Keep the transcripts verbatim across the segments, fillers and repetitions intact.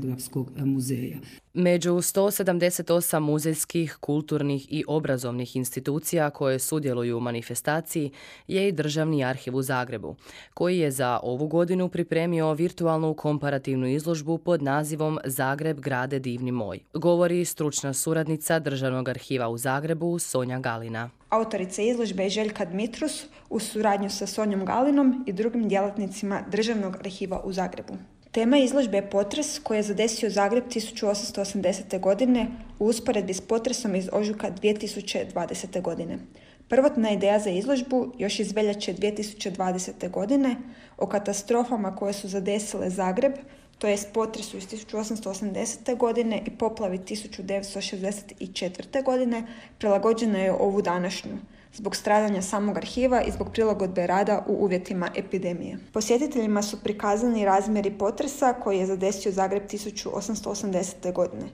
Etnografskog muzeja. Među sto sedamdeset osam muzejskih, kulturnih i obrazovnih institucija koje sudjeluju u manifestaciji je i Državni arhiv u Zagrebu, koji je za ovu godinu pripremio virtualnu komparativnu izložbu pod nazivom Zagreb grade divni moj, govori stručna suradnica Državnog arhiva u Zagrebu Sonja Galina. Autorica izložbe je Željka Dmitrus u suradnju sa Sonjom Galinom i drugim djelatnicima Državnog arhiva u Zagrebu. Tema izložbe je potres koji je zadesio Zagreb tisuću osamsto osamdesete. godine u usporedbi s potresom iz ožujka dvije tisuće dvadesete. godine. Prvotna ideja za izložbu još iz veljače dvije tisuće dvadesete. godine o katastrofama koje su zadesile Zagreb, to jest potresu iz tisuću osamsto osamdesete. godine i poplavi tisuću devetsto šezdeset četvrte. godine, prilagođena je ovu današnju, zbog stradanja samog arhiva i zbog prilagodbe rada u uvjetima epidemije. Posjetiteljima su prikazani razmjeri potresa koji je zadesio Zagreb tisuću osamsto osamdesete. godine.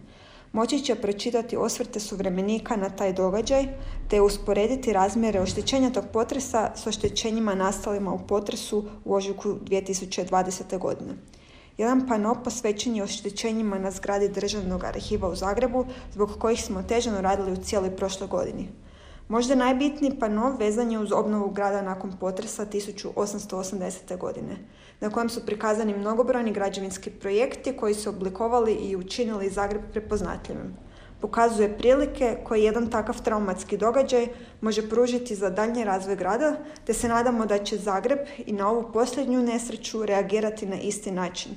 Moći će pročitati osvrte suvremenika na taj događaj, te usporediti razmjere oštećenja tog potresa s oštećenjima nastalima u potresu u ožujku dvije tisuće dvadesete. godine. Jedan pano posvećen je oštećenjima na zgradi Državnog arhiva u Zagrebu, zbog kojih smo otežano radili u cijeloj prošloj godini. Možda najbitniji pano vezan je uz obnovu grada nakon potresa tisuću osamsto osamdesete. godine, na kojem su prikazani mnogobrojni građevinski projekti koji su oblikovali i učinili Zagreb prepoznatljivim. Pokazuje prilike koje jedan takav traumatski događaj može pružiti za daljnji razvoj grada, te se nadamo da će Zagreb i na ovu posljednju nesreću reagirati na isti način.